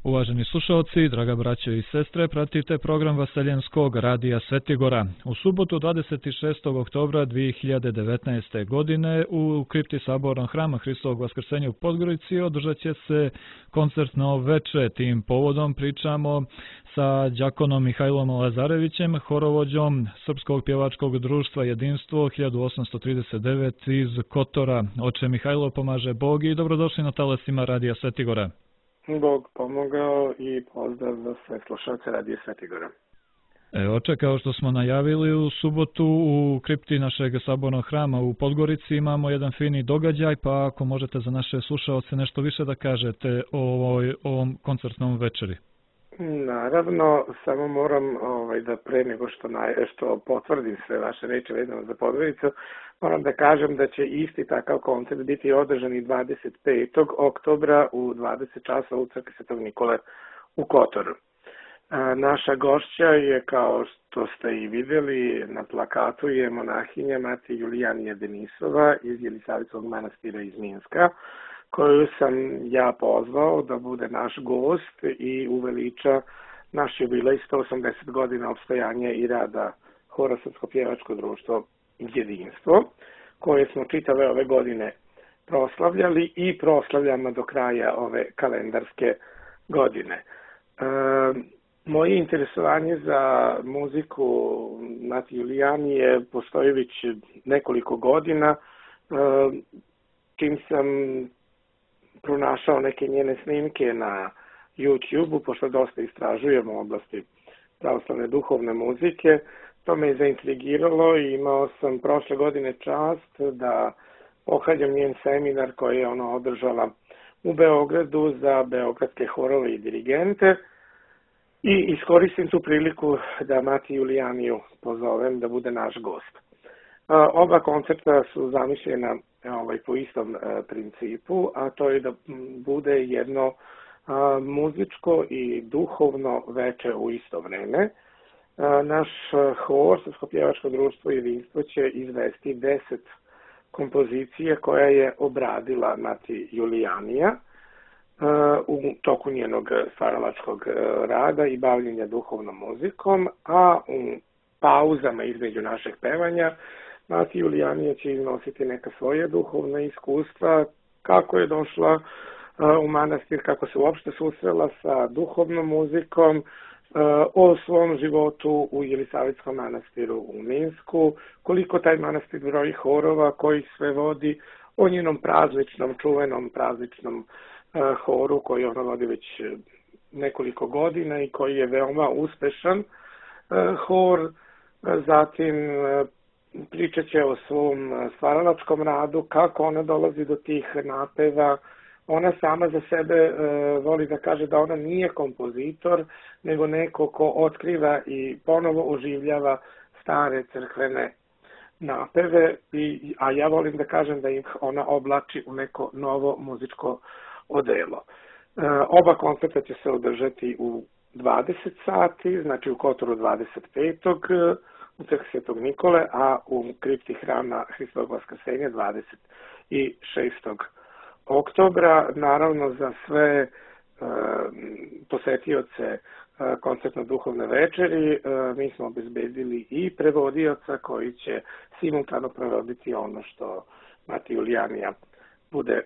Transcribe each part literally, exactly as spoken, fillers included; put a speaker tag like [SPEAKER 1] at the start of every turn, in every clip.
[SPEAKER 1] Uvaženi slušalci, draga braćo i sestre, pratite program Vaseljenskog radija Svetigora. U subotu dvadeset šestog oktobra dvije hiljade devetnaeste. godine u kripti Sabornog hrama Hristovog Vaskrsenja u Podgorici održat će se koncertno veče. Tim povodom pričamo sa đakonom Mihajlom Lazarevićem, horovođom Srpskog pjevačkog društva Jedinstvo hiljadu osamsto trideset devet iz Kotora. Oče Mihajlo, pomaže Bog i dobrodošli na talasima radija Svetigora.
[SPEAKER 2] Bog pomogao i pozdrav za sve slušalce radija Svetigora.
[SPEAKER 1] E, oče, kao što smo najavili, u subotu u kripti našeg sabornog hrama u Podgorici imamo jedan fini događaj, pa ako možete za naše slušalce nešto više da kažete o ovoj, ovom koncertnom večeri.
[SPEAKER 2] Naravno, samo moram ovaj, da pre nego što, naj, što potvrdim sve vaše reči vezano za Podgoricu, moram da kažem da će isti takav koncert biti održan i dvadeset petog oktobra u dvadeset časova u crkvi Svetog Nikole u Kotoru. A, naša gošća je, kao što ste i vidjeli na plakatu, je monahinja Mati Julijanija Denisova iz Jelisavicovog manastira iz Minska, koju sam ja pozvao da bude naš gost i uveliča naš jubilej sto osamdeset godina opstojanja i rada Hora Srpsko pjevačko društvo Jedinstvo, koje smo čitave ove godine proslavljali i proslavljamo do kraja ove kalendarske godine. E, moje interesovanje za muziku Mati Julijanije postoji već nekoliko godina, e, čim sam pronašao neke njene snimke na YouTube-u, pošto dosta istražujemo u oblasti pravoslavne duhovne muzike. To me je zaintrigiralo i imao sam prošle godine čast da pohađam njen seminar koji je ona održala u Beogradu za beogradske horove i dirigente i iskoristim tu priliku da Mati Julijaniju pozovem da bude naš gost. Oba koncerta su zamišljena ovaj, po istom e, principu, a to je da bude jedno a, muzičko i duhovno veče u isto vreme. A, naš hor, Srpsko pjevačko društvo Jedinstvo, će izvesti deset kompozicija koja je obradila Mati Julijanija a, u toku njenog stvaralačkog rada i bavljenja duhovnom muzikom, a u pauzama između našeg pevanja Mati Julijanija će iznositi neka svoja duhovna iskustva, kako je došla uh, u manastir, kako se uopšte susrela sa duhovnom muzikom, uh, o svom životu u Jelisavitskom manastiru u Minsku, koliko taj manastir broji horova, koji sve vodi, o njenom prazničnom, čuvenom prazničnom uh, horu koji ona vodi već nekoliko godina i koji je veoma uspešan uh, hor. Uh, zatim uh, pričat će o svom stvaralačkom radu, kako ona dolazi do tih napeva. Ona sama za sebe e, voli da kaže da ona nije kompozitor, nego neko ko otkriva i ponovo oživljava stare crkvene napeve, i, a ja volim da kažem da ih ona oblači u neko novo muzičko odelo. E, oba koncerta će se održati u dvadeset sati, znači u Kotoru dvadeset petog u crkvi Svetog Nikole, a u kripti hrama Hristovog Vaskrsenja dvadeset šestog oktobra. Naravno, za sve e, posetioce e, koncertno-duhovne večeri e, mi smo obezbedili i prevodioca koji će simultano prevoditi ono što Mati Julijanija bude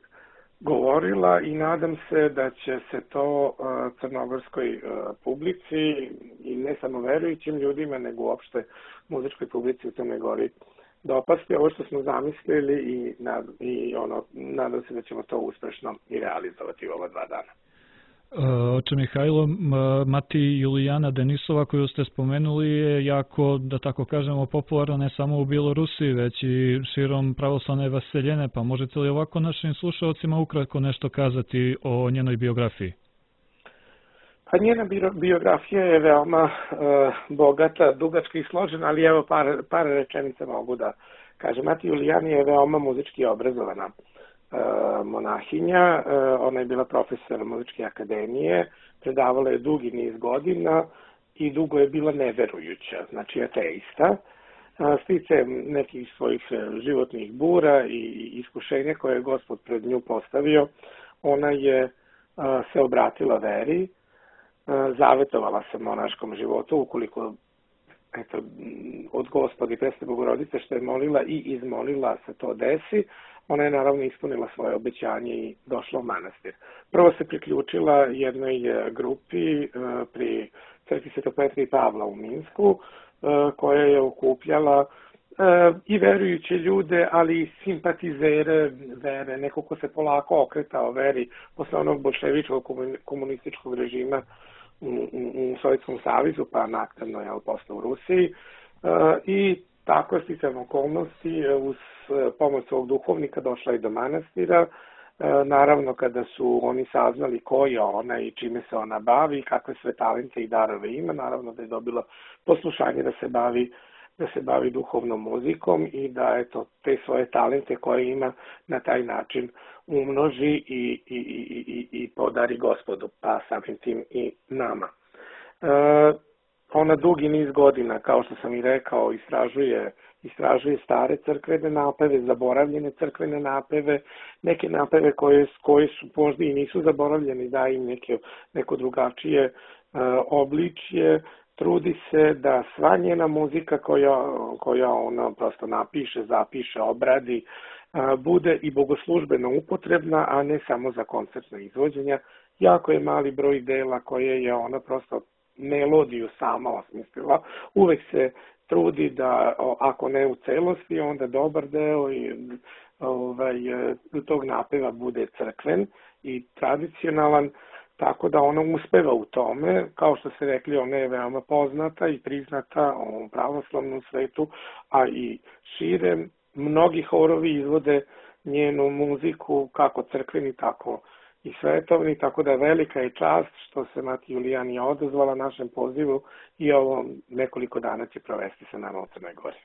[SPEAKER 2] govorila, i nadam se da će se to uh, crnogorskoj uh, publici i ne samo verujućim ljudima, nego uopšte muzičkoj publici u Crnoj Gori dopasti ovo što smo zamislili, i, nad, i ono, nadam se da ćemo to uspešno i realizovati u ova dva dana.
[SPEAKER 1] Oče Mihajlo, Mati Julijana Denisova koju ste spomenuli je jako, da tako kažemo, popularna ne samo u Bjelorusiji, već i širom pravoslavne vaseljene, pa možete li ovako našim slušalcima ukratko nešto kazati o njenoj biografiji?
[SPEAKER 2] Pa njena biografija je veoma uh, bogata, dugačka i složena, ali evo par, par rečenica mogu da kažem. Mati Julijana je veoma muzički obrazovana uh, monahinja, uh, ona je bila profesor muzičke akademije, predavala je dugi niz godina i dugo je bila neverujuća, znači ateista. Uh, sticajem nekih svojih životnih bura i iskušenja koje je Gospod pred nju postavio, ona je uh, se obratila veri. zavetovala se monaškom životu, ukoliko eto, od Gospodi Presne Bogorodice što je molila i izmolila se to desi, ona je naravno ispunila svoje obećanje i došla u manastir. Prvo se priključila jednoj grupi pri crkvi Svetog Petra i Pavla u Minsku, koja je okupljala i verujuće ljude, ali i simpatizere vere, neko ko se polako okretao veri posle onog bolševičkog komunističkog režima u, u Sovjetskom savezu, pa naknadno je posle u Rusiji. I tako je sticajem okolnosti uz pomoć svog duhovnika došla i do manastira. Naravno, kada su oni saznali ko je ona i čime se ona bavi, kakve sve talente i darove ima, naravno da je dobila poslušanje da se bavi da se bavi duhovnom muzikom i da eto, te svoje talente koje ima na taj način umnoži i, i, i, i, i podari Gospodu, pa samim tim i nama. E, ona dugi niz godina, kao što sam i rekao, istražuje, istražuje stare crkvene napeve, zaboravljene crkvene napeve, neke napeve koje, koje su možda i nisu zaboravljene, da im neke, neko drugačije e, obličje. Trudi se da sva njena muzika koja, koja ona prosto napiše, zapiše, obradi, bude i bogoslužbeno upotrebna, a ne samo za koncertna izvođenja. Jako je mali broj dela koje je ona prosto melodiju sama osmislila. Uvek se trudi da, ako ne u celosti, onda dobar deo i, ovaj, tog napeva bude crkven i tradicionalan. Tako da ona uspeva u tome, kao što ste rekli, ona je veoma poznata i priznata u pravoslavnom svetu, a i šire. Mnogi horovi izvode njenu muziku, kako crkveni, tako i svetovni, tako da velika je čast što se Mati Julijan je odazvala našem pozivu i ovo nekoliko dana će provesti sa nama u Crnoj Gori.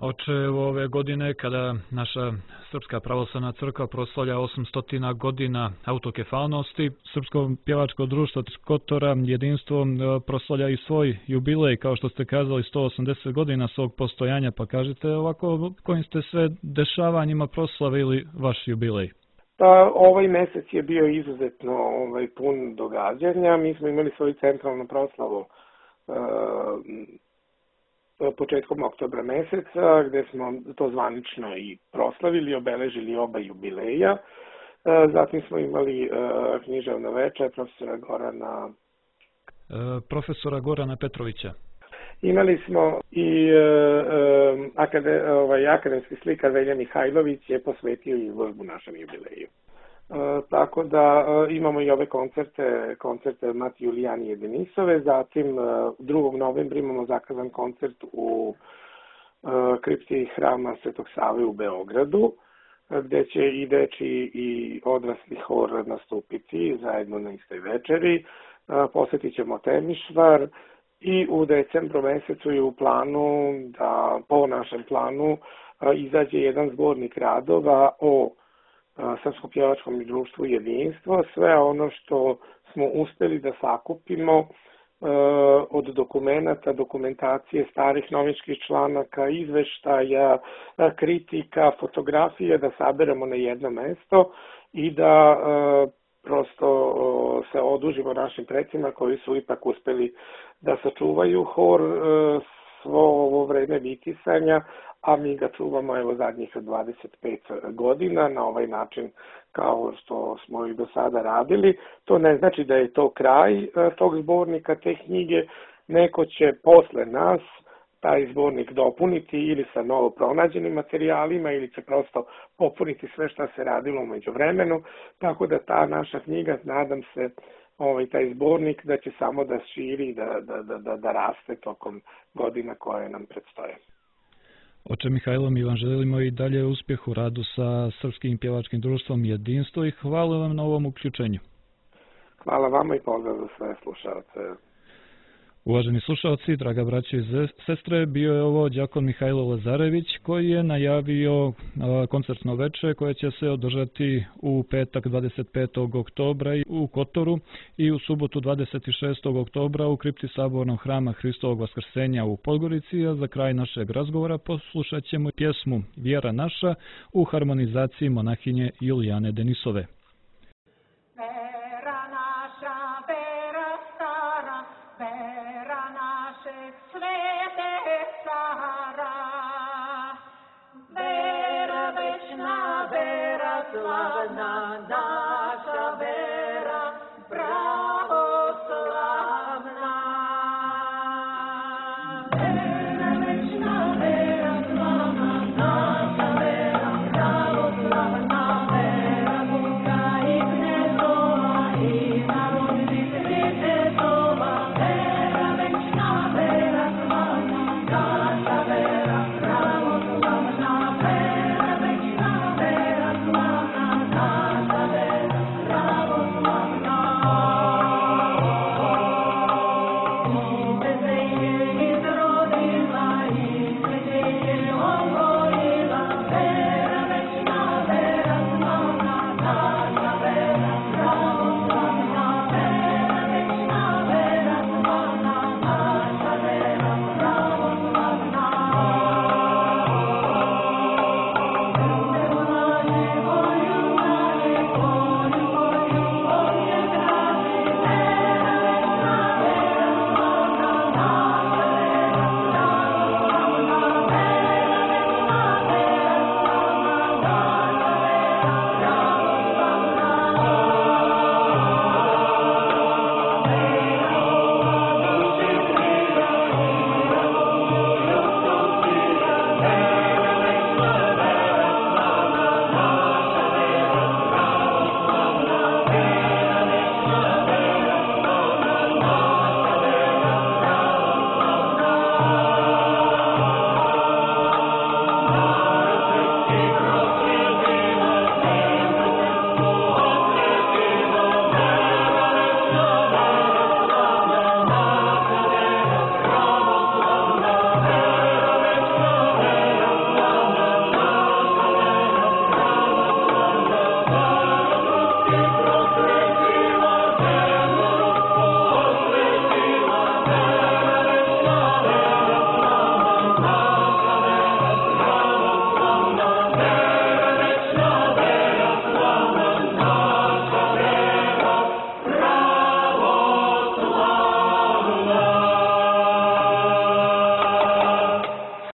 [SPEAKER 1] Oče, ove godine kada naša Srpska pravoslavna crkva proslavlja osamsto godina autokefalnosti, Srpsko pjevačko društvo Kotora jedinstvo proslavlja i svoj jubilej, kao što ste kazali, sto osamdeset godina svog postojanja, pa kažete ovako kojim ste sve dešavanjima proslavili vaš jubilej?
[SPEAKER 2] Pa ovaj mesec je bio izuzetno ovaj, pun događanja. Mi smo imali svoju centralnu proslavu uh, početkom oktobra meseca, gde smo to zvanično i proslavili, obeležili oba jubileja. Zatim smo imali književno veče profesora Gorana...
[SPEAKER 1] Profesora Gorana Petrovića.
[SPEAKER 2] Imali smo i akade, ovaj, akademski slikar Velja Mihajlović je posvetio izložbu našem jubileju. Uh, tako da uh, imamo i ove koncerte, koncerte Mati Julijan i Denisove, zatim uh, drugog novembra imamo zakazan koncert u uh, kripti hrama Svetog Save u Beogradu, uh, gde će i deči i odrasli hor nastupiti zajedno na istoj večeri. Uh, posjetit ćemo Temišvar i u decembru mesecu je u planu da po našem planu uh, izađe jedan zbornik radova o Srpskom pjevačkom društvu jedinstvo, sve ono što smo uspeli da sakupimo e, od dokumenata, dokumentacije, starih novinskih članaka, izveštaja, kritika, fotografije, da saberemo na jedno mesto i da e, prosto o, se odužimo našim precima koji su ipak uspeli da sačuvaju hor e, svo ovo vreme vitisanja, a mi ga čuvamo evo zadnjih dvadeset pet godina na ovaj način kao što smo i do sada radili. To ne znači da je to kraj tog zbornika, te knjige. Neko će posle nas taj zbornik dopuniti ili sa novo pronađenim materijalima ili će prosto popuniti sve što se radilo umeđu vremenu. Tako da ta naša knjiga, nadam se, ovaj, taj zbornik da će samo da širi, da, da, da, da raste tokom godina koje nam predstoje.
[SPEAKER 1] Oče Mihajlo, mi vam želimo i dalje uspjeh u radu sa Srpskim pjevačkim društvom Jedinstvo i hvala vam na ovom uključenju.
[SPEAKER 2] Hvala vama i pozdrav za sve slušalce.
[SPEAKER 1] Uvaženi slušalci, draga braća i sestre, bio je ovo đakon Mihajlo Lazarević koji je najavio koncertno veče koje će se održati u petak dvadeset petog oktobra u Kotoru i u subotu dvadeset šestog oktobra u kripti Sabornog hrama Hristovog Vaskrsenja u Podgorici, a za kraj našeg razgovora poslušat ćemo pjesmu Vjera naša u harmonizaciji monahinje Julijane Denisove.